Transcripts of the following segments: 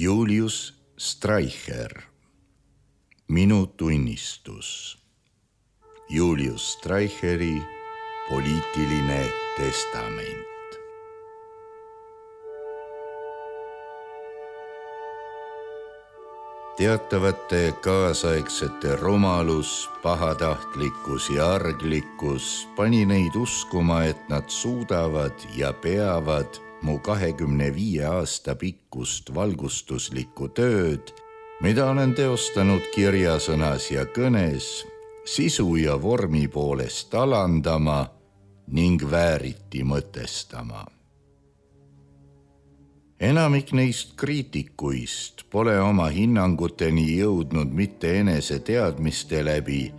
Julius Streicher, Minu tunnistus. Julius Streicheri poliitiline testament. Teatavate kaasaegsete rumalus, pahatahtlikkus ja arglikkus pani neid uskuma, et nad suudavad ja peavad mu 25 aasta pikkust valgustuslikku tööd, mida olen teostanud kirjasõnas ja kõnes, sisu ja vormi poolest alandama ning vääriti mõtestama. Enamik neist kriitikuist pole oma hinnanguteni jõudnud mitte enese teadmiste läbi,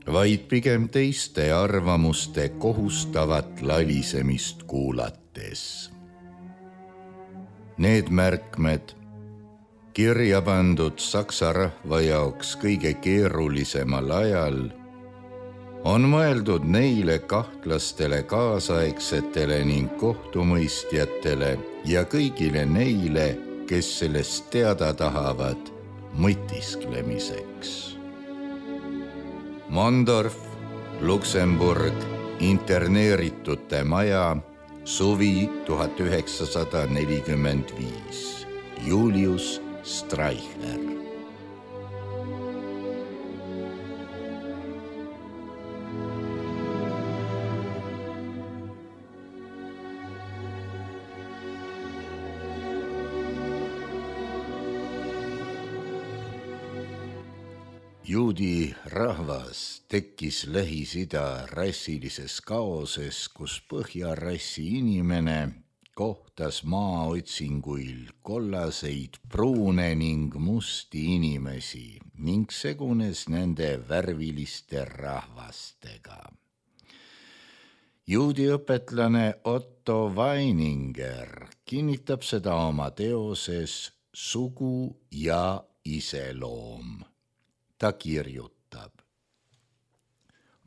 vaid pigem teiste arvamuste kohustavat lalisemist kuulates. Need märkmed, kirja pandud saksa rahva jaoks kõige keerulisemal ajal, on mõeldud neile kahtlastele kaasaegsetele ning kohtumõistjatele ja kõigile neile, kes sellest teada tahavad mõtisklemiseks. Mondorf, Luksemburg, interneeritute maja, suvi 1945. Julius Streicher. Juudi rahvas tekkis Lähis-Ida rassilises kaoses, kus põhjarassi inimene kohtas maaotsinguil kollaseid, pruune ning musti inimesi ning segunes nende värviliste rahvastega. Juudi õpetlane Otto Weininger kinnitab seda oma teoses Sugu ja iseloom. Ta kirjutab: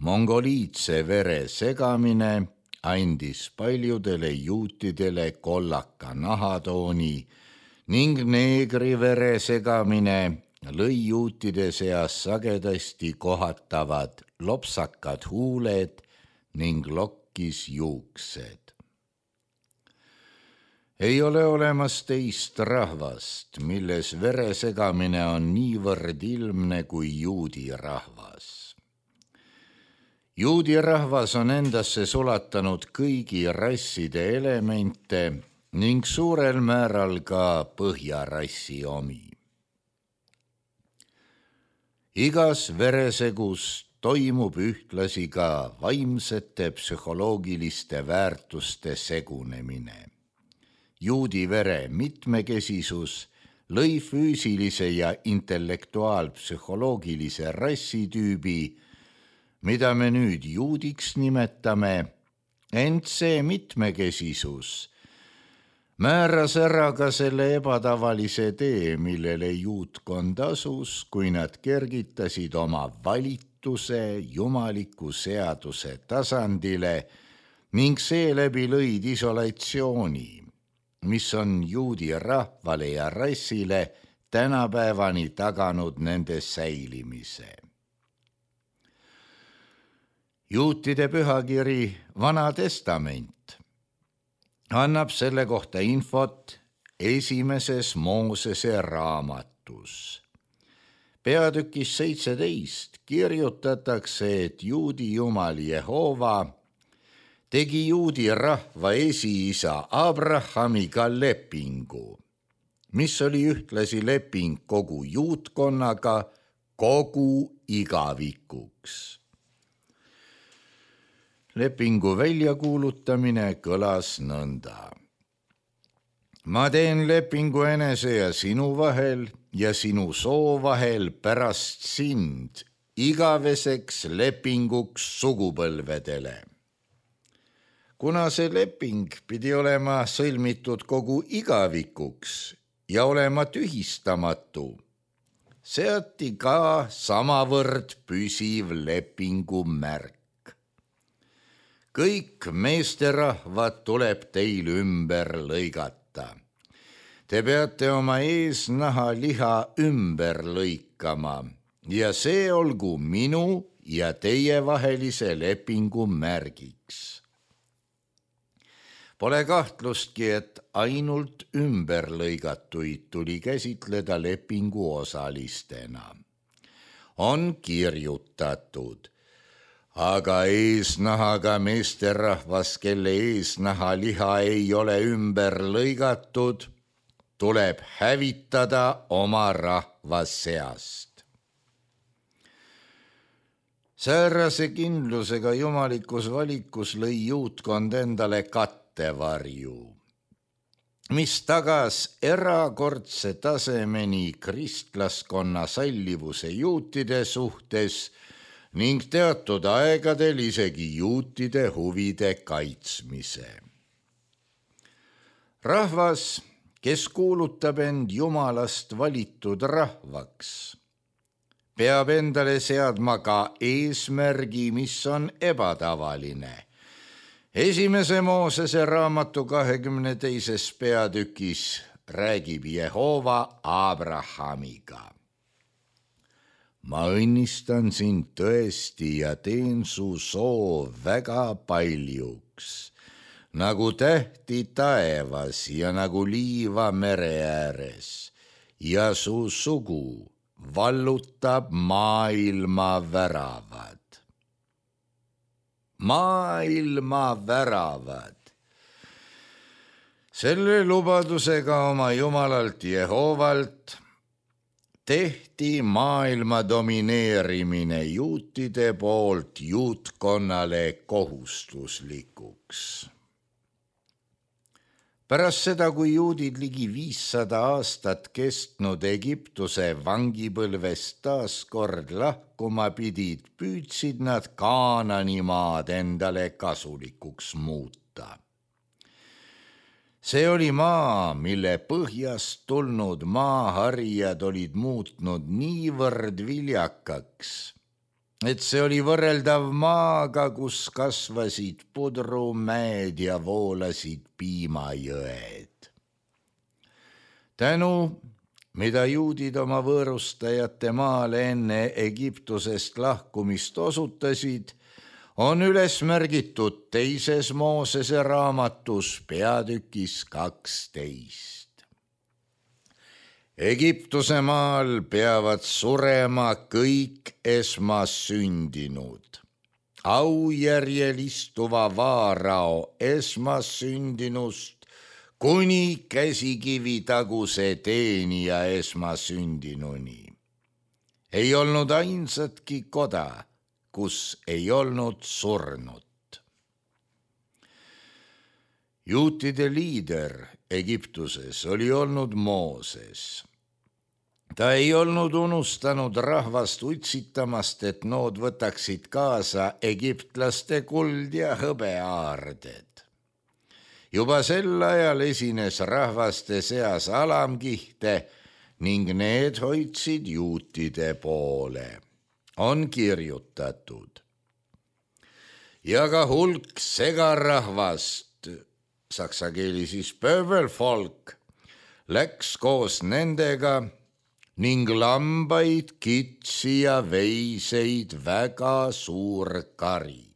mongoliitse vere segamine andis paljudele juutidele kollaka nahatooni ning neegri vere segamine lõi juutide seas sagedasti kohatavad lopsakad huuled ning lokkis juuksed. Ei ole olemas teist rahvast, milles veresegamine on niivõrd ilmne kui juudi rahvas. Juudi rahvas on endasse sulatanud kõigi rasside elemente ning suurel määral ka põhjarassi omi. Igas veresegus toimub ühtlasi ka vaimsete psühholoogiliste väärtuste segunemine. Juudi vere mitmekesisus lõi füüsilise ja intellektuaalpsühholoogilise rassitüübi, mida me nüüd juudiks nimetame, ent see mitmekesisus määras ära ka selle ebatavalise tee, millele juutkond asus, kui nad kergitasid oma valituse jumaliku seaduse tasandile ning seeläbi lõid isolatsiooni, mis on juudi rahvale ja rassile tänapäevani taganud nende säilimise. Juutide pühakiri Vana Testament annab selle kohta infot esimeses Moosese raamatus. Peatükis 17 kirjutatakse, et juudi jumal Jehova tegi juudi rahva esiisa Abrahamiga lepingu, mis oli ühtlasi leping kogu juutkonnaga kogu igavikuks. Lepingu väljakuulutamine kõlas nõnda: ma teen lepingu enese ja sinu vahel ja sinu soo vahel pärast sind igaveseks lepinguks sugupõlvedele. Kuna see leping pidi olema sõlmitud kogu igavikuks ja olema tühistamatu, seati ka samavõrd püsiv lepingu märk. Kõik meesterahvad tuleb teil ümber lõigata. Te peate oma eesnaha liha ümber lõikama ja see olgu minu ja teie vahelise lepingu märgiks. Pole kahtlustki, et ainult ümberlõigatuid tuli käsitleda lepingu osalistena. On kirjutatud, aga eesnahaga meesterahvas, kelle eesnaha liha ei ole ümber lõigatud, tuleb hävitada oma rahva seast. Säärase kindlusega jumalikus valikus lõi juutkond endale kattevarju, mis tagas erakordse tasemeni kristlaskonna sallivuse juutide suhtes ning teatud aegadel isegi juutide huvide kaitsmise. Rahvas, kes kuulutab end Jumalast valitud rahvaks, peab endale seadma ka eesmärgi, mis on ebatavaline. 1. Moosese raamatu 22. peatükis räägib Jehova Abrahamiga. Ma õnnistan sind tõesti ja teen su soo väga paljuks, nagu tähti taevas ja nagu liiva mere ääres, ja su sugu vallutab maailma väravad. Maailma väravad. Selle lubadusega oma Jumalalt Jehovalt tehti maailma domineerimine juutide poolt juutkonnale kohustuslikuks. Pärast seda, kui juudid ligi 500 aastat kestnud Egiptuse vangipõlvest taas kord lahkuma pidid, püüdsid nad Kaanani maad endale kasulikuks muuta. See oli maa, mille põhjast tulnud maaharijad olid muutnud niivõrd viljakaks, et see oli võrreldav maaga, kus kasvasid pudrumäed ja voolasid piimajõed. Tänu, mida juudid oma võõrustajate maale enne Egiptusest lahkumist osutasid, on üles märgitud 2. Moosese raamatus peatükis 12. Egiptuse maal peavad surema kõik esmasündinud. Aujärjel istuva vaarao esmasündinust kuni käsikivi taguse teenija esmasündinuni. Ei olnud ainsatki koda, kus ei olnud surnut. Juutide liider Egiptuses oli olnud Mooses. Ta ei olnud unustanud rahvast utsitamast, et nood võtaksid kaasa egiptlaste kuld ja hõbeaarded. Juba sel ajal esines rahvaste seas alamkihte ning need hoidsid juutide poole. On kirjutatud. Ja ka hulk segarahvast, saksa keeli siis pöbelfolk, läks koos nendega ning lambaid, kitsi ja veiseid väga suur kari.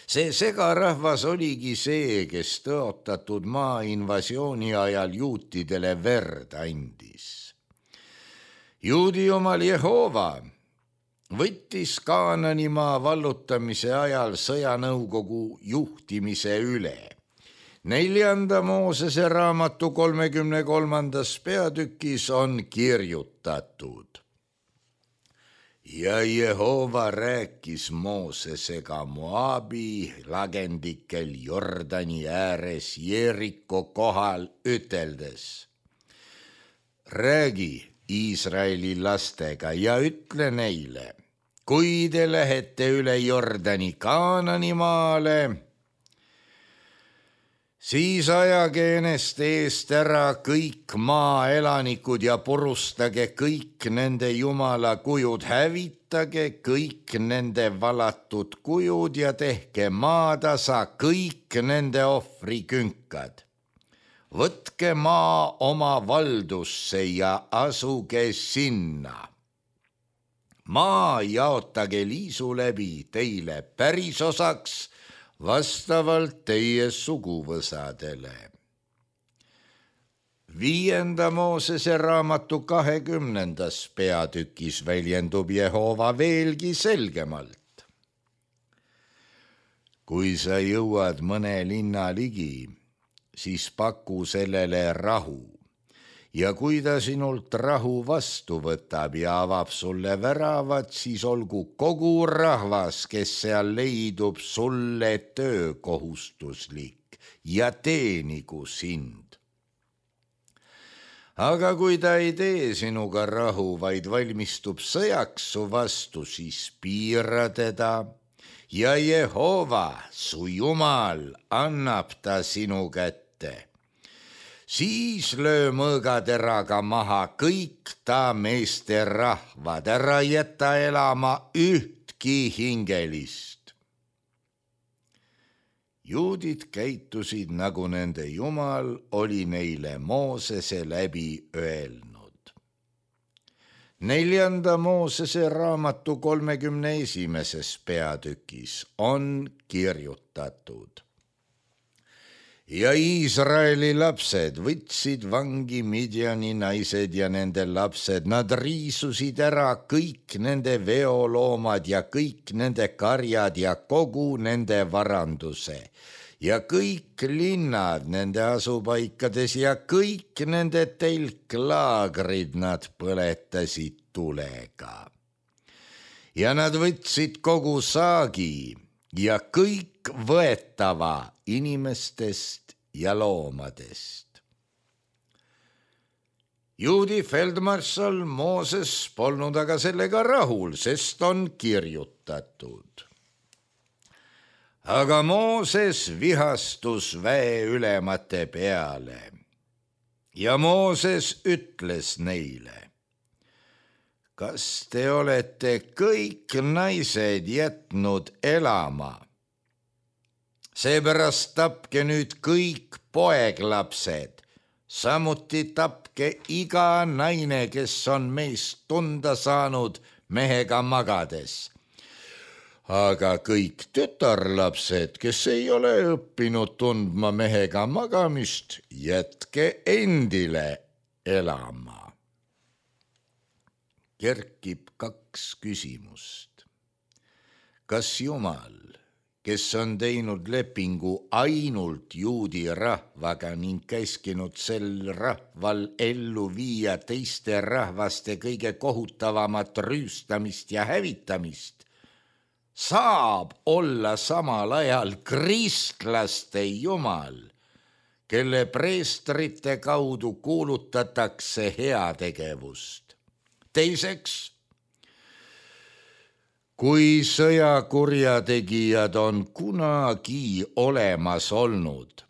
See segarahvas oligi see, kes tõotatud maa invasiooni ajal juutidele verd andis. Juudi jumal Jehova võttis Kaananimaa vallutamise ajal sõjanõukogu juhtimise üle. 4. Moosese raamatu 33. peatükis on kirjutatud. Ja Jehova rääkis Moosesega Moabi lagendikel Jordani ääres Jeriko kohal üteldes. Räägi Iisraeli lastega ja ütle neile, kui te lähete üle Jordani Kaananimaale, siis ajage enest eest ära kõik maaelanikud ja purustage kõik nende jumala kujud, hävitage kõik nende valatud kujud ja tehke maatasa kõik nende ohvrikünkad. võtke maa oma valdusse ja asuge sinna. Maa jaotage liisu läbi teile pärisosaks vastavalt teie suguvõsadele. 5. Moosese raamatu 20. peatükis väljendub Jehova veelgi selgemalt. Kui sa jõuad mõne linna ligi, siis paku sellele rahu. Ja kui ta sinult rahu vastu võtab ja avab sulle väravad, siis olgu kogu rahvas, kes seal leidub, sulle töökohustuslik ja teenigu sind. Aga kui ta ei tee sinuga rahu, vaid valmistub sõjaks su vastu, siis piira teda ja Jehova, su Jumal, annab ta sinu kätte. Siis löö mõõgateraga maha kõik ta meeste rahvad, ära jäta elama ühtki hingelist. Juudid käitusid, nagu nende Jumal oli neile Moosese läbi öelnud. 4. Moosese raamatu 31. peatükis on kirjutatud. Ja Iisraeli lapsed võtsid vangi Midjani naised ja nende lapsed, nad riisusid ära kõik nende veoloomad ja kõik nende karjad ja kogu nende varanduse ja kõik linnad nende asupaikades ja kõik nende telklaagrid nad põletasid tulega. Ja nad võtsid kogu saagi ja kõik võetava inimestest ja loomadest. Juudi feldmarssal Mooses polnud aga sellega rahul, sest on kirjutatud. Aga Mooses vihastus väeülemate peale ja Mooses ütles neile: kas te olete kõik naised jätnud elama? Seepärast tapke nüüd kõik poeglapsed, samuti tapke iga naine, kes on meest tunda saanud mehega magades. Aga kõik tütarlapsed, kes ei ole õppinud tundma mehega magamist, jätke endile elama. Kerkib 2 küsimust. Kas Jumal, kes on teinud lepingu ainult juudi rahvaga ning käskinud sel rahval ellu viia teiste rahvaste kõige kohutavamat rüüstamist ja hävitamist, saab olla samal ajal kristlaste Jumal, kelle preestrite kaudu kuulutatakse heategevust. Teiseks, kui sõjakurjategijad on kunagi olemas olnud,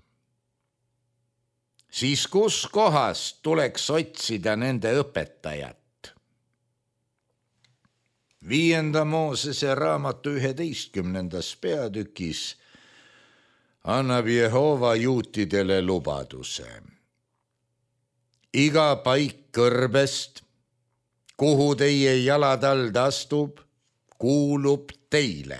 siis kus kohas tuleks otsida nende õpetajat? 5. Moosese raamatu 11. peatükis annab Jehova juutidele lubaduse. Iga paik kõrbest, kuhu teie jalatald astub, kuulub teile.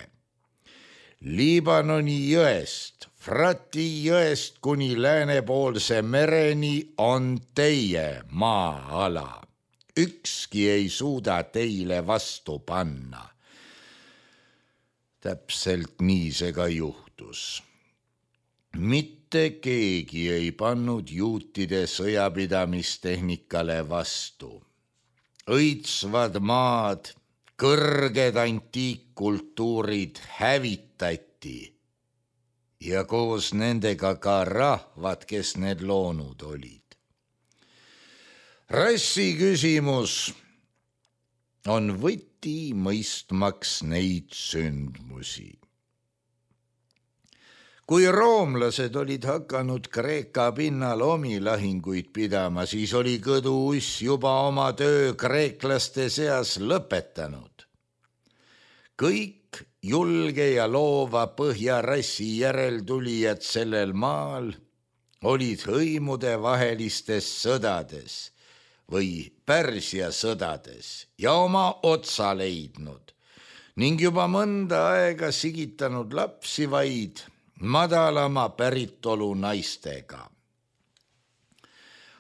Liibanoni jõest, Frati jõest kuni läänepoolse mereni on teie maa-ala. Ükski ei suuda teile vastu panna. Täpselt nii see ka juhtus. Mitte keegi ei pannud juutide sõjapidamistehnikale vastu. Õitsvad maad, kõrged antiikkultuurid hävitati ja koos nendega ka rahvad, kes need loonud olid. Rassi küsimus on võti mõistmaks neid sündmusi. Kui roomlased olid hakanud Kreeka pinnal omi lahinguid pidama, siis oli kõduuss juba oma töö kreeklaste seas lõpetanud. Kõik julge ja loova põhjarassi järeltulijad sellel maal olid hõimude vahelistes sõdades või Pärsia sõdades ja oma otsa leidnud ning juba mõnda aega sigitanud lapsi vaid madalama päritolu naistega.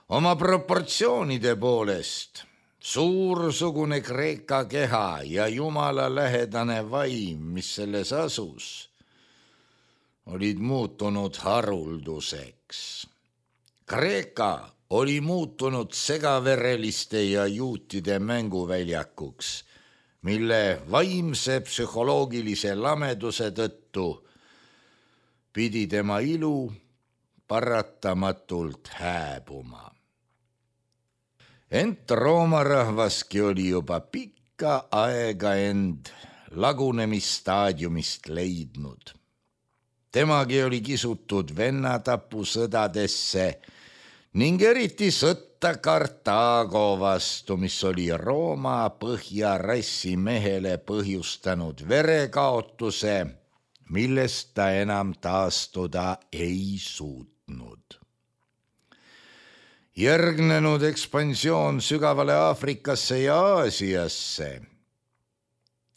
Oma proportsioonide poolest suursugune Kreeka keha ja jumala lähedane vaim, mis selles asus, olid muutunud harulduseks. Kreeka oli muutunud segavereliste ja juutide mänguväljakuks, mille vaimse psühholoogilise lameduse tõttu pidi tema ilu paratamatult hääbuma. Ent Rooma rahvaski oli juba pikka aega end lagunemisstaadiumist leidnud. Temagi oli kisutud vennatapusõdadesse ning eriti sõtta Kartaago vastu, mis oli Rooma põhjarassi mehele põhjustanud verekaotuse, millest ta enam taastuda ei suutnud. Järgnenud ekspansioon sügavale Aafrikasse ja Aasiasse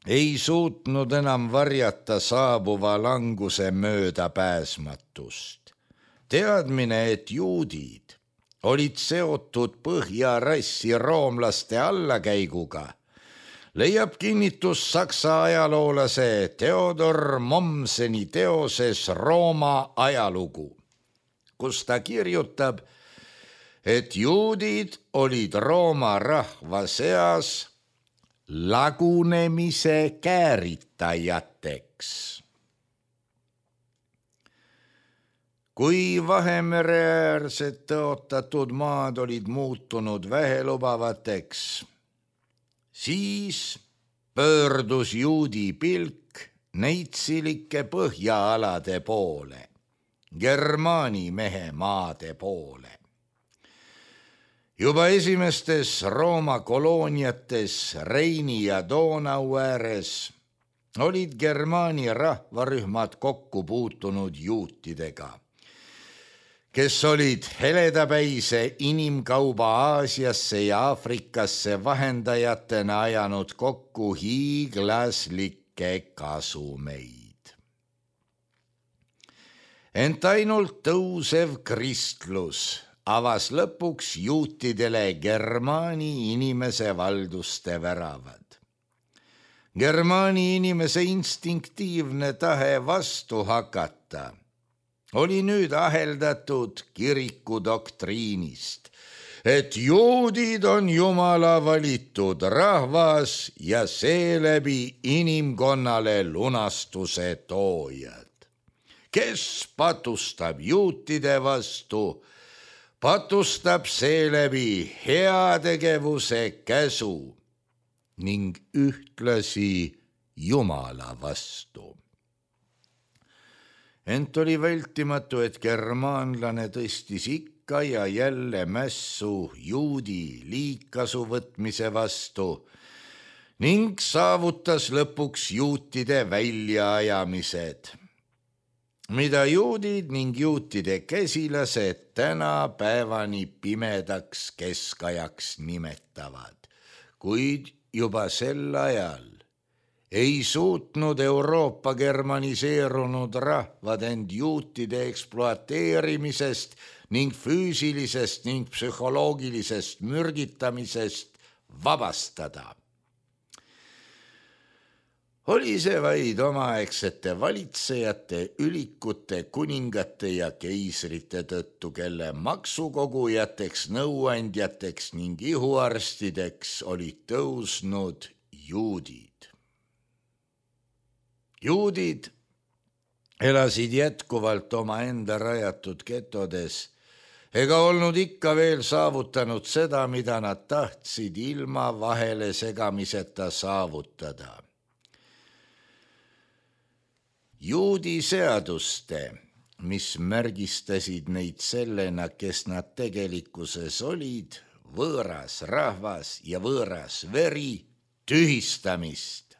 ei suutnud enam varjata saabuva languse möödapääsmatust. Teadmine, et juudid olid seotud põhjarassi roomlaste allakäiguga, leiab kinnitust saksa ajaloolase Theodor Mommseni teoses Rooma ajalugu, kus ta kirjutab, et juudid olid Rooma rahva seas lagunemise kääritajateks. Kui Vahemereäärsed tõotatud maad olid muutunud vähelubavateks, siis pöördus juudi pilk neitsilike põhjaalade poole, Germaani mehe maade poole. Juba esimestes Rooma kolooniates Reini ja Donau ääres olid Germaani rahvarühmad kokku puutunud juutidega, kes olid heledapäise inimkauba Aasiasse ja Aafrikasse vahendajatena ajanud kokku hiiglaslikke kasumeid. Ent ainult tõusev kristlus avas lõpuks juutidele Germaani inimese valduste väravad. Germaani inimese instinktiivne tahe vastu hakata oli nüüd aheldatud kiriku doktriinist, et juudid on Jumala valitud rahvas ja seeläbi inimkonnale lunastuse toojad. Kes patustab juutide vastu, patustab seeläbi heategevuse käsu ning ühtlasi Jumala vastu. Ent oli vältimatu, et germaanlane tõstis ikka ja jälle mässu juudi liigkasu võtmise vastu ning saavutas lõpuks juutide väljaajamised, mida juudid ning juutide käsilased tänapäevani pimedaks keskajaks nimetavad, kuid juba sel ajal ei suutnud Euroopa germaniseerunud rahvad end juutide ekspluateerimisest ning füüsilisest ning psühholoogilisest mürgitamisest vabastada. Oli see vaid omaaegsete valitsejate, ülikute, kuningate ja keisrite tõttu, kelle maksukogujateks, nõuandjateks ning ihuarstideks olid tõusnud juudid. Juudid elasid jätkuvalt omaenda rajatud getodes ega olnud ikka veel saavutanud seda, mida nad tahtsid ilma vahele segamiseta saavutada. Juudi seaduste, mis märgistasid neid sellena, kes nad tegelikkuses olid, võõras rahvas ja võõras veri, tühistamist.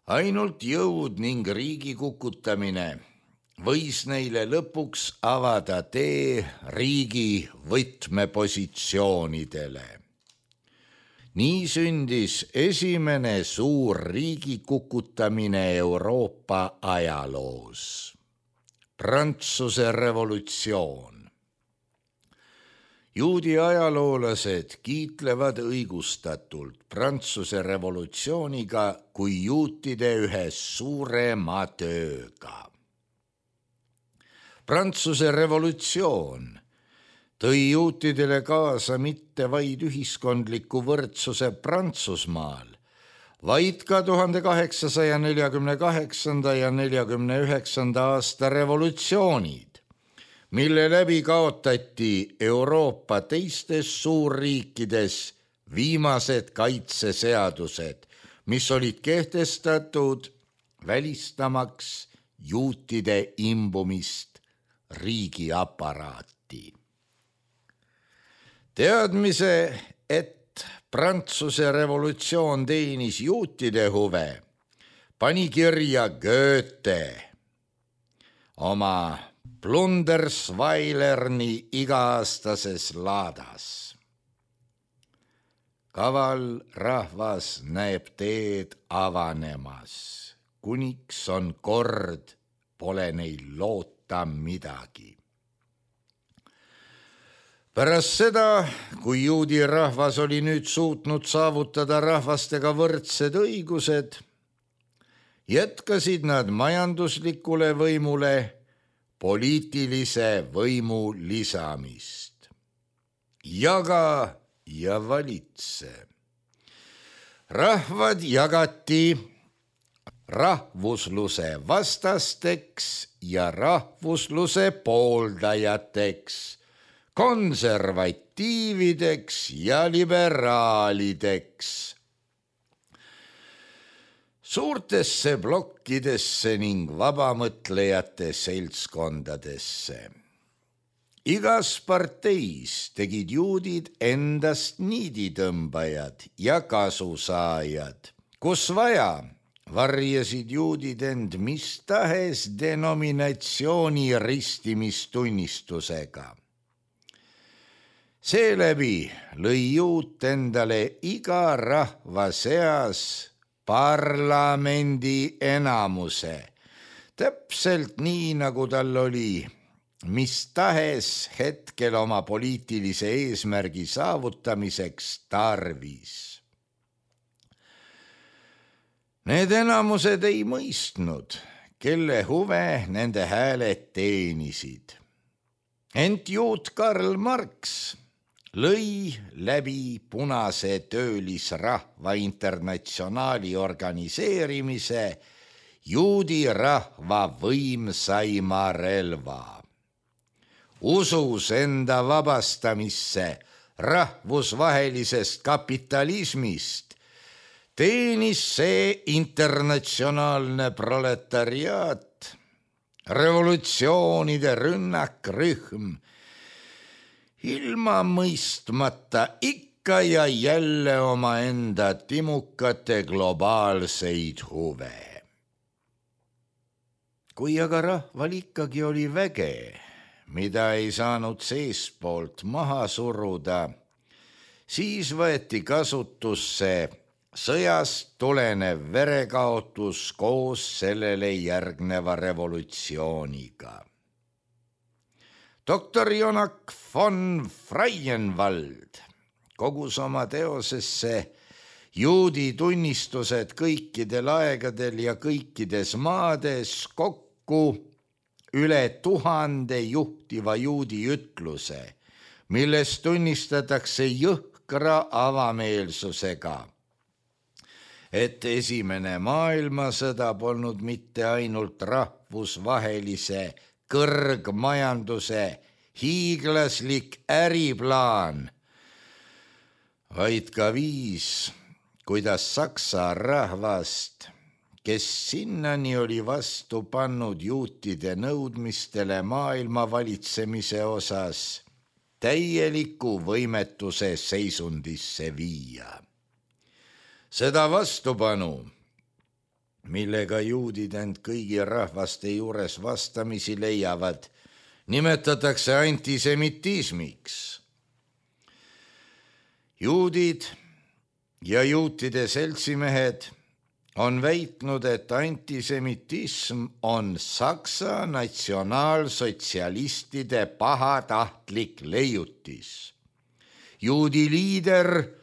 Ainult jõud ning riigi kukutamine võis neile lõpuks avada tee riigi võtmepositsioonidele. Nii sündis esimene suur riigi kukutamine Euroopa ajaloos. Prantsuse revolutsioon. Juudi ajaloolased kiitlevad õigustatult Prantsuse revolutsiooniga kui juutide ühe suurema tööga. Prantsuse revolutsioon tõi juutidele kaasa mitte vaid ühiskondliku võrdsuse Prantsusmaal, vaid ka 1848. ja 1849. aasta revolutsioonid, mille läbi kaotati Euroopa teistes suurriikides viimased kaitseseadused, mis olid kehtestatud välistamaks juutide imbumist riigiaparaati. Teadmise, et Prantsuse revolutsioon teenis juutide huve, pani kirja Goethe oma Plundersweilerni iga-aastases laadas. Kaval rahvas näeb teed avanemas, kuniks on kord, pole neil loota midagi. Pärast seda, kui juudi rahvas oli nüüd suutnud saavutada rahvastega võrdsed õigused, jätkasid nad majanduslikule võimule poliitilise võimu lisamist. Jaga ja valitse. Rahvad jagati rahvusluse vastasteks ja rahvusluse pooldajateks, konservatiivideks ja liberaalideks. Suurtesse plokkidesse ning vabamõtlejate seltskondadesse. Igas parteis tegid juudid endast niiditõmbajad ja kasusaajad. Kus vaja, varjasid juudid end mis tahes denominatsiooni ristimistunnistusega. Seeläbi lõi juut endale iga rahva seas parlamendi enamuse, täpselt nii, nagu tal oli mis tahes hetkel oma poliitilise eesmärgi saavutamiseks tarvis. Need enamused ei mõistnud, kelle huve nende hääled teenisid. Ent juut Karl Marx lõi läbi punase töölisrahva internatsionaali organiseerimise juudi rahva võimsaima relva. Usus enda vabastamisse rahvusvahelisest kapitalismist teenis see internatsionaalne proletariaat, revolutsioonide rünnakrühm, ilma mõistmata ikka ja jälle omaenda timukate globaalseid huve. Kui aga rahval ikkagi oli väge, mida ei saanud seestpoolt maha suruda, siis võeti kasutusse sõjast tulenev verekaotus koos sellele järgneva revolutsiooniga. Doktor Jonak von Freienwald kogus oma teosesse juudi tunnistused kõikidel aegadel ja kõikides maades kokku üle 1000 juhtiva juudi ütluse, milles tunnistatakse jõhkra avameelsusega, et esimene maailmasõda polnud mitte ainult rahvusvahelise kõrgmajanduse hiiglaslik äriplaan, vaid ka viis, kuidas Saksa rahvast, kes sinnani oli vastu pannud juutide nõudmistele maailma valitsemise osas, täieliku võimetuse seisundisse viia. Seda vastupanu millega juudid end kõigi rahvaste juures vastamisi leiavad, nimetatakse antisemitismiks. juudid ja juutide seltsimehed on väitnud, et antisemitism on Saksa natsionaalsotsialistide pahatahtlik leiutis. Juudi liider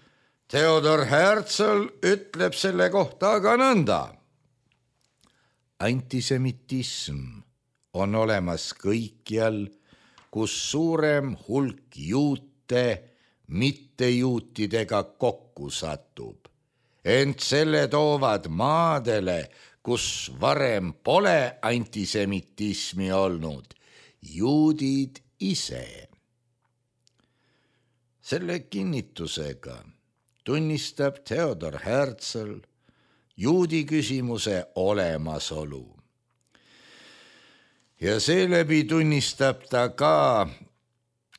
Theodor Herzl ütleb selle kohta aga nõnda. Antisemitism on olemas kõikjal, kus suurem hulk juute mittejuutidega kokku satub, ent selle toovad maadele, kus varem pole antisemitismi olnud, juudid ise. Selle kinnitusega tunnistab Theodor Herzl juudi küsimuse olemasolu. Ja seeläbi tunnistab ta ka,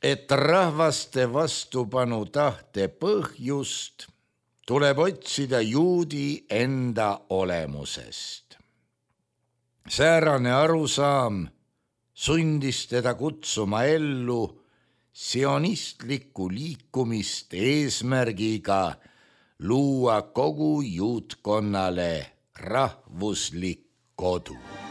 et rahvaste vastupanu tahte põhjust tuleb otsida juudi enda olemusest. Säärane arusaam sundis teda kutsuma ellu sionistlikku liikumist eesmärgiga luua kogu juutkonnale rahvuslik kodu.